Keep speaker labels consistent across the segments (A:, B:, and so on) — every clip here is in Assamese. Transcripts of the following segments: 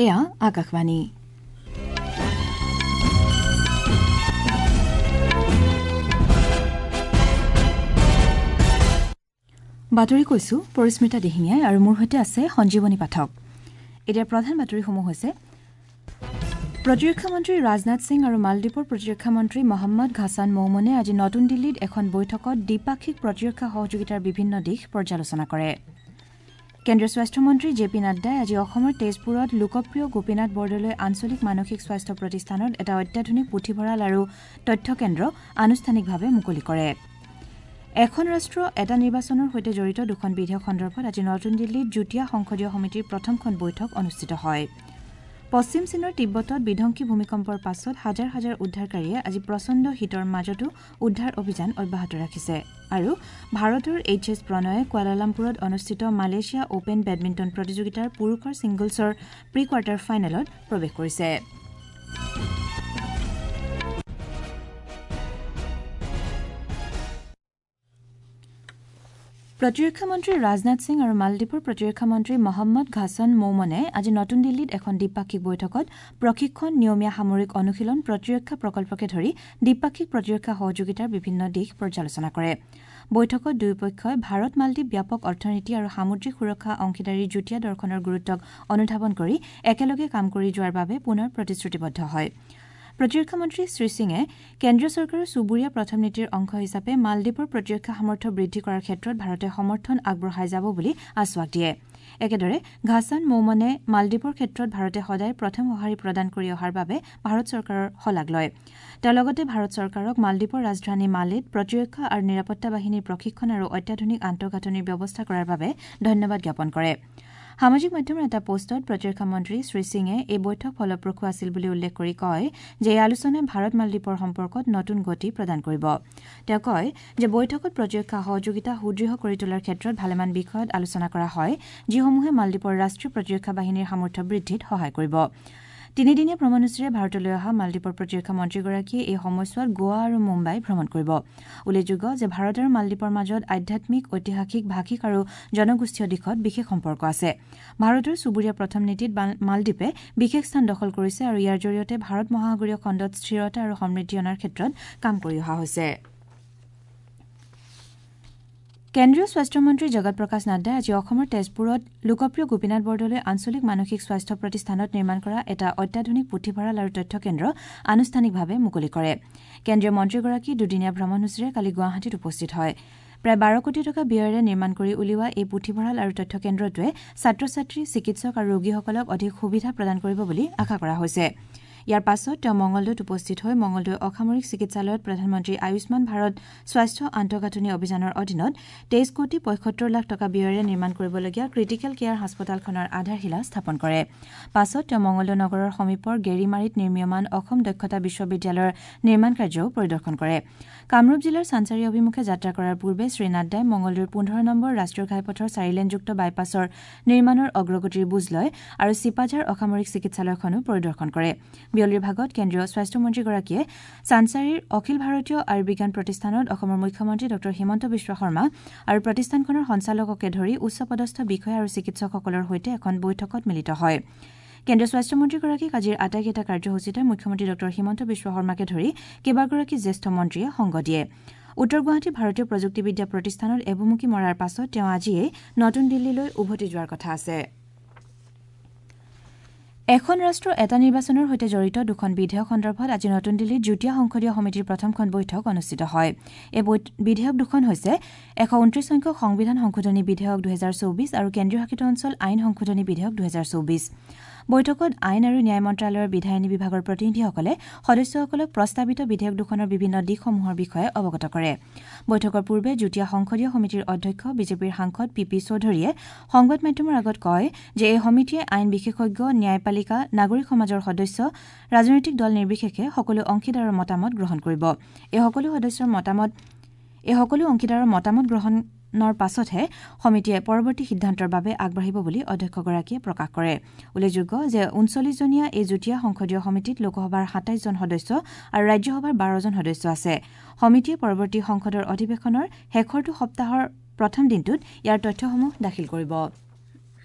A: এয়া আকাশবাণী। বাতৰি কৈছো পৰিস্মিতা দিহিঙীয়াই আৰু মোৰ সৈতে আছে সঞ্জীৱনী পাঠক। এতিয়া প্ৰধান বাতৰিসমূহ হৈছে প্ৰতিৰক্ষা মন্ত্ৰী ৰাজনাথ সিং আৰু মালদ্বীপৰ প্ৰতিৰক্ষা মন্ত্ৰী মহম্মদ ঘাছান মৌমনে আজি নতুন দিল্লীত এখন বৈঠকত দ্বিপাক্ষিক প্ৰতিৰক্ষা সহযোগিতাৰ বিভিন্ন দিশ পৰ্যালোচনা কৰে। কেন্দ্ৰীয় স্বাস্থ্যমন্ত্ৰী জে পি নাড্ডাই আজি অসমৰ তেজপুৰত লোকপ্ৰিয় গোপীনাথ বৰদলৈ আঞ্চলিক মানসিক স্বাস্থ্য প্ৰতিষ্ঠানত এটা অত্যাধুনিক পুথিভঁৰাল আৰু তথ্য কেন্দ্ৰ আনুষ্ঠানিকভাৱে মুকলি কৰে। এখন ৰাষ্ট্ৰ এটা নিৰ্বাচনৰ সৈতে জড়িত দুখন বিধেয়ক সন্দৰ্ভত আজি নতুন দিল্লীত যুটীয়া সংসদীয় সমিতিৰ প্ৰথমখন বৈঠক অনুষ্ঠিত হয়। পশ্চিম চীনৰ তিব্বতত বিধ্বংসী ভূমিকম্পৰ পাছত হাজাৰ হাজাৰ উদ্ধাৰকাৰীয়ে আজি প্ৰচণ্ড শীতৰ মাজতো উদ্ধাৰ অভিযান অব্যাহত ৰাখিছে। আৰু ভাৰতৰ এইচ এছ প্ৰণয়ে কুৱালালামপুৰত অনুষ্ঠিত মালয়েছিয়া অপেন বেডমিণ্টন প্ৰতিযোগিতাৰ পুৰুষৰ ছিংগলছৰ প্ৰি কোৱাৰ্টাৰ ফাইনেলত প্ৰৱেশ কৰিছে। প্ৰতিৰক্ষা মন্ত্ৰী ৰাজনাথ সিং আৰু মালদ্বীপৰ প্ৰতিৰক্ষা মন্ত্ৰী মহম্মদ ঘাছান মৌমনে আজি নতুন দিল্লীত এখন দ্বিপাক্ষিক বৈঠকত প্ৰশিক্ষণ, নিয়মীয়া সামৰিক অনুশীলন, প্ৰতিৰক্ষা প্ৰকল্পকে ধৰি দ্বিপাক্ষিক প্ৰতিৰক্ষা সহযোগিতাৰ বিভিন্ন দিশ পৰ্যালোচনা কৰে। বৈঠকত দুয়োপক্ষই ভাৰত মালদ্বীপ ব্যাপক অৰ্থনীতি আৰু সামুদ্ৰিক সুৰক্ষা অংশীদাৰীৰ যুটীয়া দৰ্শনৰ গুৰুত্বক অনুধাৱন কৰি একেলগে কাম কৰি যোৱাৰ বাবে পুনৰ প্ৰতিশ্ৰুতিবদ্ধ হয়। প্ৰতিৰক্ষা মন্ত্ৰী শ্ৰী সিঙে কেন্দ্ৰীয় চৰকাৰৰ চুবুৰীয়া প্ৰথম নীতিৰ অংশ হিচাপে মালদ্বীপৰ প্ৰতিৰক্ষা সামৰ্থ্য বৃদ্ধি কৰাৰ ক্ষেত্ৰত ভাৰতে সমৰ্থন আগবঢ়াই যাব বুলি আশ্বাস দিয়ে। একেদৰে ঘাছান মৌমনে মালদ্বীপৰ ক্ষেত্ৰত ভাৰতে সদায় প্ৰথম সঁহাৰি প্ৰদান কৰি অহাৰ বাবে ভাৰত চৰকাৰৰ শলাগ লয়। তেওঁ লগতে ভাৰত চৰকাৰক মালদ্বীপৰ ৰাজধানী মালেত প্ৰতিৰক্ষা আৰু নিৰাপত্তা বাহিনীৰ প্ৰশিক্ষণ আৰু অত্যাধুনিক আন্তঃগাঁথনিৰ ব্যৱস্থা কৰাৰ বাবে ধন্যবাদ জ্ঞাপন কৰে। সামাজিক মাধ্যমৰ এটা পোষ্টত প্ৰতিৰক্ষা মন্ত্ৰী শ্ৰী সিঙে এই বৈঠক ফলপ্ৰসূ আছিল বুলি উল্লেখ কৰি কয় যে এই আলোচনাই ভাৰত মালদ্বীপৰ সম্পৰ্কত নতুন গতি প্ৰদান কৰিব। তেওঁ কয় যে বৈঠকত প্ৰতিৰক্ষা সহযোগিতা সুদৃঢ় কৰি তোলাৰ ক্ষেত্ৰত ভালেমান বিষয়ত আলোচনা কৰা হয়, যিসমূহে মালদ্বীপৰ ৰাষ্ট্ৰীয় প্ৰতিৰক্ষা বাহিনীৰ সামৰ্থ্য বৃদ্ধিত সহায় কৰিব। তিনিদিনীয়া ভ্ৰমণসূচীৰে ভাৰতলৈ অহা মালদ্বীপৰ প্ৰতিৰক্ষা মন্ত্ৰীগৰাকীয়ে এই সময়ছোৱাত গোৱা আৰু মুম্বাই ভ্ৰমণ কৰিব। উল্লেখযোগ্য যে ভাৰত আৰু মালদ্বীপৰ মাজত আধ্যাত্মিক, ঐতিহাসিক, ভাষিক আৰু জনগোষ্ঠীয় দিশত বিশেষ সম্পৰ্ক আছে। ভাৰতৰ চুবুৰীয়া প্ৰথম নীতিত মালদ্বীপে বিশেষ স্থান দখল কৰিছে আৰু ইয়াৰ জৰিয়তে ভাৰত মহাসাগৰীয় খণ্ডত স্থিৰতা আৰু সমৃদ্ধি অনাৰ ক্ষেত্ৰত কাম কৰি অহা হৈছে। কেন্দ্ৰীয় স্বাস্থ্যমন্ত্ৰী জগত প্ৰকাশ নাড্ডাই আজি অসমৰ তেজপুৰত লোকপ্ৰিয় গোপীনাথ বৰদলৈ আঞ্চলিক মানসিক স্বাস্থ্য প্ৰতিষ্ঠানত নিৰ্মাণ কৰা এটা অত্যাধুনিক পুথিভঁৰাল আৰু তথ্য কেন্দ্ৰ আনুষ্ঠানিকভাৱে মুকলি কৰে। কেন্দ্ৰীয় মন্ত্ৰীগৰাকী দুদিনীয়া ভ্ৰমণসূচীৰে কালি গুৱাহাটীত উপস্থিত হয়। প্ৰায় ১২ কোটি টকা ব্যয়েৰে নিৰ্মাণ কৰি উলিওৱা এই পুথিভঁৰাল আৰু তথ্য কেন্দ্ৰটোৱে ছাত্ৰ ছাত্ৰী, চিকিৎসক আৰু ৰোগীসকলক অধিক সুবিধা প্ৰদান কৰিব বুলি আশা কৰা হৈছে। ইয়াৰ পাছত তেওঁ মঙলদৈত উপস্থিত হৈ মঙলদৈ অসামৰিক চিকিৎসালয়ত প্ৰধানমন্ত্ৰী আয়ুষ্মান ভাৰত স্বাস্থ্য আন্তঃগাঁথনি অভিযানৰ অধীনত ২৩ কোটি ৭৫ লাখ টকা ব্যয়েৰে নিৰ্মাণ কৰিবলগীয়া ক্ৰিটিকেল কেয়াৰ হাস্পতালখনৰ আধাৰশিলা স্থাপন কৰে। পাছত তেওঁ মঙলদৈ নগৰৰ সমীপৰ গেৰিমাৰীত নিৰ্মীয়মান অসম দক্ষতা বিশ্ববিদ্যালয়ৰ নিৰ্মাণ কাৰ্যও পৰিদৰ্শন কৰে। কামৰূপ জিলাৰ চানচাৰী অভিমুখে যাত্ৰা কৰাৰ পূৰ্বে শ্ৰী নাড্ডাই মঙলদৈৰ ১৫ নম্বৰ ৰাষ্ট্ৰীয় ঘাইপথৰ চাৰিলেনযুক্ত বাইপাছৰ নিৰ্মাণৰ অগ্ৰগতিৰ বুজ লয় আৰু চিপাঝাৰ অসামৰিক চিকিৎসালয়খনো পৰিদৰ্শন কৰে। বিয়লিৰ ভাগত কেন্দ্ৰীয় স্বাস্থ্যমন্ত্ৰীগৰাকীয়ে চানচাৰীৰ অখিল ভাৰতীয় আয়ুৰ্বিজ্ঞান প্ৰতিষ্ঠানত অসমৰ মুখ্যমন্ত্ৰী ডঃ হিমন্ত বিশ্ব শৰ্মা আৰু প্ৰতিষ্ঠানখনৰ সঞ্চালককে ধৰি উচ্চপদস্থ বিষয়া আৰু চিকিৎসকসকলৰ সৈতে এখন বৈঠকত মিলিত হয়। কেন্দ্ৰীয় স্বাস্থ্যমন্ত্ৰীগৰাকীক আজিৰ আটাইকেইটা কাৰ্যসূচীতে মুখ্যমন্ত্ৰী ডঃ হিমন্ত বিশ্ব শৰ্মাকে ধৰি কেইবাগৰাকী জ্যেষ্ঠ মন্ত্ৰীয়ে সংগ দিয়ে। উত্তৰ গুৱাহাটী ভাৰতীয় প্ৰযুক্তিবিদ্যা প্ৰতিষ্ঠানত এভুমুকি মৰাৰ পাছত তেওঁ আজিয়েই নতুন দিল্লীলৈ উভতি যোৱাৰ কথা আছে। এখন ৰাষ্ট্ৰ এটা নিৰ্বাচনৰ সৈতে জড়িত দুখন বিধেয়ক সন্দৰ্ভত আজি নতুন দিল্লীত যুটীয়া সংসদীয় সমিতিৰ প্ৰথমখন বৈঠক অনুষ্ঠিত হয়। এই বিধেয়ক দুখন হৈছে ১২৯ সংখ্যক সংবিধান সংশোধনী বিধেয়ক ২০২৪ আৰু কেন্দ্ৰীয় শাসিত অঞ্চল আইন সংশোধনী বিধেয়ক ২০২৪। বৈঠকত আইন আৰু ন্যায় মন্ত্ৰালয়ৰ বিধায়িনী বিভাগৰ প্ৰতিনিধিসকলে সদস্যসকলক প্ৰস্তাৱিত বিধেয়ক দুখনৰ বিভিন্ন দিশসমূহৰ বিষয়ে অৱগত কৰে। বৈঠকৰ পূৰ্বে যুটীয়া সংসদীয় সমিতিৰ অধ্যক্ষ বিজেপিৰ সাংসদ পি পি চৌধুৰীয়ে সংবাদ মাধ্যমৰ আগত কয় যে এই সমিতিয়ে আইন বিশেষজ্ঞ, ন্যায়পালিকা, নাগৰিক সমাজৰ সদস্য, ৰাজনৈতিক দল নিৰ্বিশেষে সকলো অংশীদাৰৰ মতামত গ্ৰহণ কৰিব। এই সকলো অংশীদাৰৰ মতামত গ্ৰহণৰ পাছতহে সমিতিয়ে পৰৱৰ্তী সিদ্ধান্তৰ বাবে আগবাঢ়িব বুলি অধ্যক্ষগৰাকীয়ে প্ৰকাশ কৰে। উল্লেখযোগ্য যে ৩৯জনীয়া এই যুটীয়া সংসদীয় সমিতিত লোকসভাৰ ২৭ জন সদস্য আৰু ৰাজ্যসভাৰ ১২ জন সদস্য আছে। সমিতিয়ে পৰৱৰ্তী সংসদৰ অধিৱেশনৰ শেষৰটো সপ্তাহৰ প্ৰথম দিনটোত ইয়াৰ তথ্যসমূহ দাখিল কৰিব।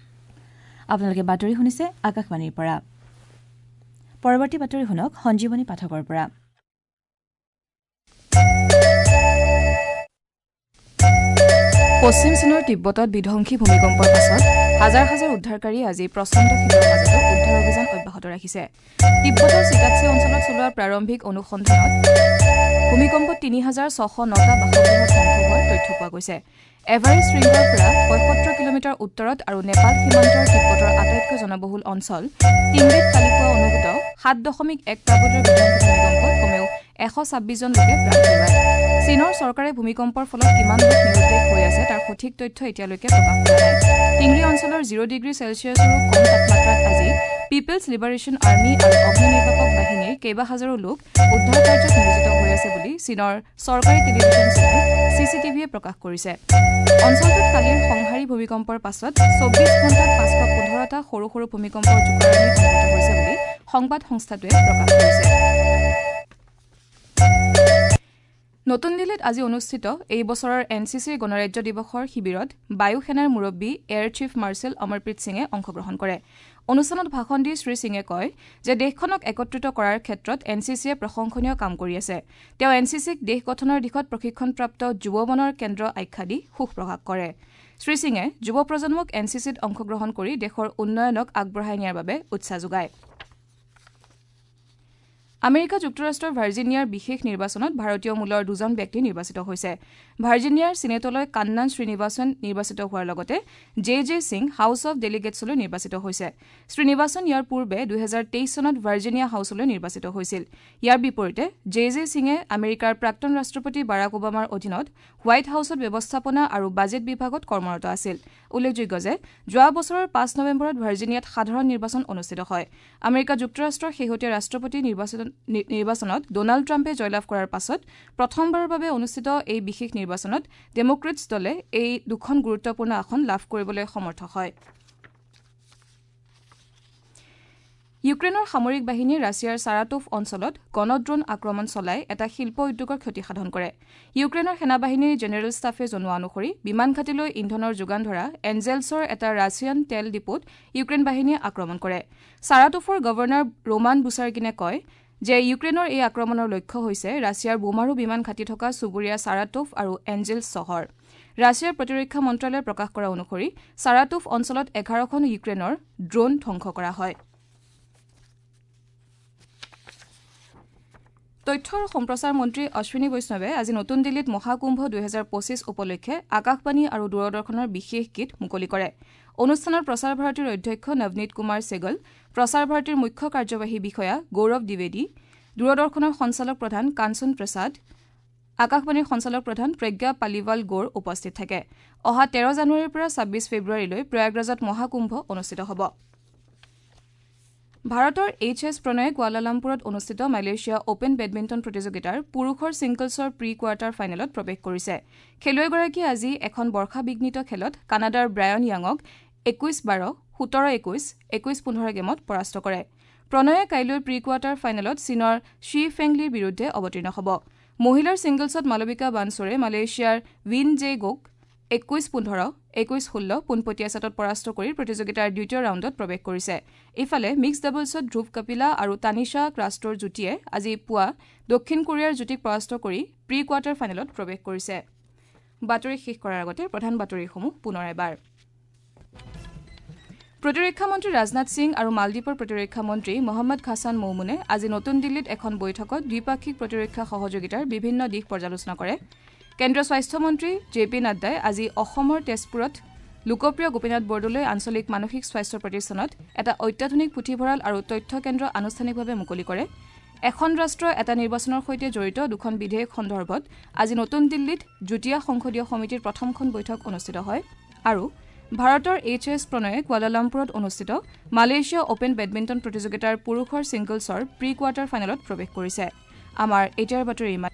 A: আপোনালোকে বাতৰি শুনিছে আকাশবাণীৰ পৰা। পৰৱৰ্তী বাতৰি শুনক সঞ্জীৱনী পাঠকৰ পৰা।
B: পশ্চিম চীনৰ তিব্বতত বিধ্বংসী ভূমিকম্পৰ পাছত হাজাৰ হাজাৰ উদ্ধাৰকাৰীয়ে আজি প্ৰচণ্ড শীতৰ মাজতো উদ্ধাৰ অভিযান অব্যাহত ৰাখিছে। তিব্বতৰ চিকাটছে অঞ্চলত চলোৱা প্ৰাৰম্ভিক অনুসন্ধানত ভূমিকম্পত ৩,৬০৯টা বাসগৃহ ধ্বংস হোৱাৰ তথ্য পোৱা গৈছে। এভাৰেষ্ট শৃংগৰ পৰা ৭৫ কিলোমিটাৰ উত্তৰত আৰু নেপাল সীমান্তৰ তিব্বতৰ আটাইতকৈ জনবহুল অঞ্চল টিংৰিত কালি পুৱা অনুভূত ৭.১ প্ৰাবল্যৰ বিধ্বংসী ভূমিকম্পত কমেও ১২৬ জন লোকে প্ৰাণ হেৰুৱায়। চীনৰ চৰকাৰে ভূমিকম্পৰ ফলত কিমান লোক নিৰুদ্দেশ হৈ আছে তাৰ সঠিক তথ্য এতিয়ালৈকে প্ৰকাশ কৰা নাই। টিংৰি অঞ্চলৰ ০ ডিগ্ৰী চেলছিয়াছৰো কম তাপমাত্ৰাত আজি পিপলছ লিবাৰেশ্যন আৰ্মি আৰু অগ্নি নিৰ্বাপক বাহিনীৰ কেইবা হাজাৰো লোক উদ্ধাৰ কাৰ্যত নিয়োজিত হৈ আছে বুলি চীনৰ চৰকাৰী টেলিভিছন চেনেল চি চি টিভিয়ে প্ৰকাশ কৰিছে। অঞ্চলটোত কালিৰ সংহাৰী ভূমিকম্পৰ পাছত ২৪ ঘণ্টাত ৫১৫টা সৰু সৰু ভূমিকম্পৰ জোকাৰণি অনুভূত হৈছে বুলি সংবাদ সংস্থাটোৱে প্ৰকাশ কৰিছে। নতুন দিল্লীত আজি অনুষ্ঠিত এই বছৰৰ এন চি চিৰ গণৰাজ্য দিৱসৰ শিবিৰত বায়ু সেনাৰ মুৰব্বী এয়াৰ চিফ মাৰ্শ্বেল অমৰপ্ৰীত সিঙে অংশগ্ৰহণ কৰে। অনুষ্ঠানত ভাষণ দি শ্ৰী সিঙে কয় যে দেশখনক একত্ৰিত কৰাৰ ক্ষেত্ৰত এন চি চিয়ে প্ৰশংসনীয় কাম কৰি আছে। তেওঁ এন চি চিক দেশ গঠনৰ দিশত প্ৰশিক্ষণপ্ৰাপ্ত যুৱ মনৰ কেন্দ্ৰ আখ্যা দি সুখ প্ৰকাশ কৰে। শ্ৰী সিঙে যুৱ প্ৰজন্মক এন চি চিত অংশগ্ৰহণ কৰি দেশৰ উন্নয়নক আগবঢ়াই নিয়াৰ বাবে উৎসাহ যোগায়। আমেৰিকা যুক্তৰাষ্ট্ৰৰ ভাৰ্জিনিয়াৰ বিশেষ নিৰ্বাচনত ভাৰতীয় মূলৰ দুজন ব্যক্তি নিৰ্বাচিত হৈছে। ভাৰ্জিনিয়াৰ চিনেটলৈ কান্নান শ্ৰীনিবাসন নিৰ্বাচিত হোৱাৰ লগতে J J Singh house of ডেলিগেটছলৈ নিৰ্বাচিত হৈছে। শ্ৰীনিবাসন ইয়াৰ পূৰ্বে ২০২৩ চনত ভাৰ্জিনিয়া হাউচলৈ নিৰ্বাচিত হৈছিল। ইয়াৰ বিপৰীতে জে জে সিঙে আমেৰিকাৰ প্ৰাক্তন ৰাষ্ট্ৰপতি বাৰাক ওবামাৰ অধীনত হোৱাইট হাউচত ব্যৱস্থাপনা আৰু বাজেট বিভাগত কৰ্মৰত আছিল। উল্লেখযোগ্য যে যোৱা বছৰৰ ৫ নৱেম্বৰত ভাৰ্জিনিয়াত সাধাৰণ নিৰ্বাচন অনুষ্ঠিত হয়। আমেৰিকা যুক্তৰাষ্ট্ৰৰ শেহতীয়া ৰাষ্ট্ৰপতি নিৰ্বাচনত ডনাল্ড ট্ৰাম্পে জয়লাভ কৰাৰ পাছত প্ৰথমবাৰৰ বাবে অনুষ্ঠিত এই বিশেষ নিৰ্বাচনত ডেমক্ৰেটছ দলে এই দুখন গুৰুত্বপূৰ্ণ আসন লাভ কৰিবলৈ সমৰ্থ হয়। ইউক্ৰেইনৰ সামৰিক বাহিনীয়ে ৰাছিয়াৰ ছাৰাটোভ অঞ্চলত গণড্ৰোন আক্ৰমণ চলাই এটা শিল্প উদ্যোগৰ ক্ষতি সাধন কৰে। ইউক্ৰেইনৰ সেনাবাহিনীৰ জেনেৰেল ষ্টাফে জনোৱা অনুসৰি বিমানঘাটিলৈ ইন্ধনৰ যোগান ধৰা এঞ্জেলছৰ এটা ৰাছিয়ান তেল ডিপোত ইউক্ৰেইন বাহিনীয়ে আক্ৰমণ কৰে। ছাৰাটোভৰ গভৰ্ণৰ ৰোমান বুছাৰ্গিনে কয় যে ইউক্ৰেইনৰ এই আক্ৰমণৰ লক্ষ্য হৈছে ৰাছিয়াৰ বোমাৰু বিমান ঘাটি থকা চুবুৰীয়া ছাৰাটোভ আৰু এঞ্জেলছ চহৰ। ৰাছিয়াৰ প্ৰতিৰক্ষা মন্ত্ৰালয়ে প্ৰকাশ কৰা অনুসৰি ছাৰাটোভ অঞ্চলত ১১খন ইউক্ৰেইনৰ ড্ৰোন ধ্বংস কৰা হয়। তথ্য আৰু সম্প্ৰচাৰ মন্ত্ৰী অশ্বিনী বৈষ্ণৱে আজি নতুন দিল্লীত মহাকুম্ভ ২০২৫ উপলক্ষে আকাশবাণী আৰু দূৰদৰ্শনৰ বিশেষ গীত মুকলি কৰে। অনুষ্ঠানত প্ৰসাৰ ভাৰতীৰ অধ্যক্ষ নৱনীত কুমাৰ চেগল, প্ৰসাৰ ভাৰতীৰ মুখ্য কাৰ্যবাহী বিষয়া গৌৰৱ দ্বিবেদী, দূৰদৰ্শনৰ সঞ্চালক প্ৰধান কাঞ্চন প্ৰসাদ, আকাশবাণীৰ সঞ্চালক প্ৰধান প্ৰজ্ঞা পালিৱাল গৌৰ উপস্থিত থাকে। অহা ১৩ জানুৱাৰীৰ পৰা ২৬ ফেব্ৰুৱাৰীলৈ প্ৰয়াগৰাজত মহাকুম্ভ অনুষ্ঠিত হ'ব। ভাৰতৰ এইচ এছ প্ৰণয়ে কুৱালালামপুৰত অনুষ্ঠিত মালয়েছিয়া অপেন বেডমিণ্টন প্ৰতিযোগিতাৰ পুৰুষৰ ছিংগলছৰ প্ৰি কোৱাৰ্টাৰ ফাইনেলত প্ৰৱেশ কৰিছে। খেলুৱৈগৰাকীয়ে আজি এখন বৰ্ষাবিঘ্নিত খেলত কানাডাৰ ব্ৰায়ন য়াঙক ২১-১২, ১৭-২১, ২১-১৫ গেমত পৰাস্ত কৰে। প্ৰণয়ে কাইলৈ প্ৰি কোৱাৰ্টাৰ ফাইনেলত চীনৰ শ্বি ফেংলিৰ বিৰুদ্ধে অৱতীৰ্ণ হ'ব। মহিলাৰ ছিংগলছত মালবিকা বানছৰে মালয়েছিয়াৰ ৱিন জে গোক ২১-১৫, ২১-১৬ পোনপটীয়া ছেটত পৰাস্ত কৰি প্ৰতিযোগিতাৰ দ্বিতীয় ৰাউণ্ডত প্ৰৱেশ কৰিছে। ইফালে মিক্স ডাবলছত ধ্ৰুৱ কপিলা আৰু তানিশা ক্ৰাষ্টৰ যুটীয়ে আজি পুৱা দক্ষিণ কোৰিয়াৰ যুটীক পৰাস্ত কৰি প্ৰি কোৱাৰ্টাৰ ফাইনেলত প্ৰৱেশ কৰিছে। বাতৰি শেষ কৰাৰ আগতে প্ৰধান বাতৰিসমূহ পুনৰ এবাৰ। প্ৰতিৰক্ষা মন্ত্ৰী ৰাজনাথ সিং আৰু মালদ্বীপৰ প্ৰতিৰক্ষা মন্ত্ৰী মহম্মদ ঘাছান মৌমুনে আজি নতুন দিল্লীত এখন বৈঠকত দ্বিপাক্ষিক প্ৰতিৰক্ষা সহযোগিতাৰ বিভিন্ন দিশ পৰ্যালোচনা কৰে। কেন্দ্ৰীয় স্বাস্থ্যমন্ত্ৰী জে পি নাড্ডাই আজি অসমৰ তেজপুৰত লোকপ্ৰিয় গোপীনাথ বৰদলৈ আঞ্চলিক মানসিক স্বাস্থ্য প্ৰতিষ্ঠানত এটা অত্যাধুনিক পুথিভঁৰাল আৰু তথ্য কেন্দ্ৰ আনুষ্ঠানিকভাৱে মুকলি কৰে। এখন ৰাষ্ট্ৰ এটা নিৰ্বাচনৰ সৈতে জড়িত দুখন বিধেয়ক সন্দৰ্ভত আজি নতুন দিল্লীত যুটীয়া সংসদীয় সমিতিৰ প্ৰথমখন বৈঠক অনুষ্ঠিত হয়। আৰু ভাৰতৰ এইচ এছ প্ৰণয়ে কুৱালালামপুৰত অনুষ্ঠিত মালয়েছিয়া অপেন বেডমিণ্টন প্ৰতিযোগিতাৰ পুৰুষৰ ছিংগলছৰ প্ৰি কোৱাৰ্টাৰ ফাইনেলত প্ৰৱেশ কৰিছে। আমাৰ এতিয়াৰ বাতৰি ইমান।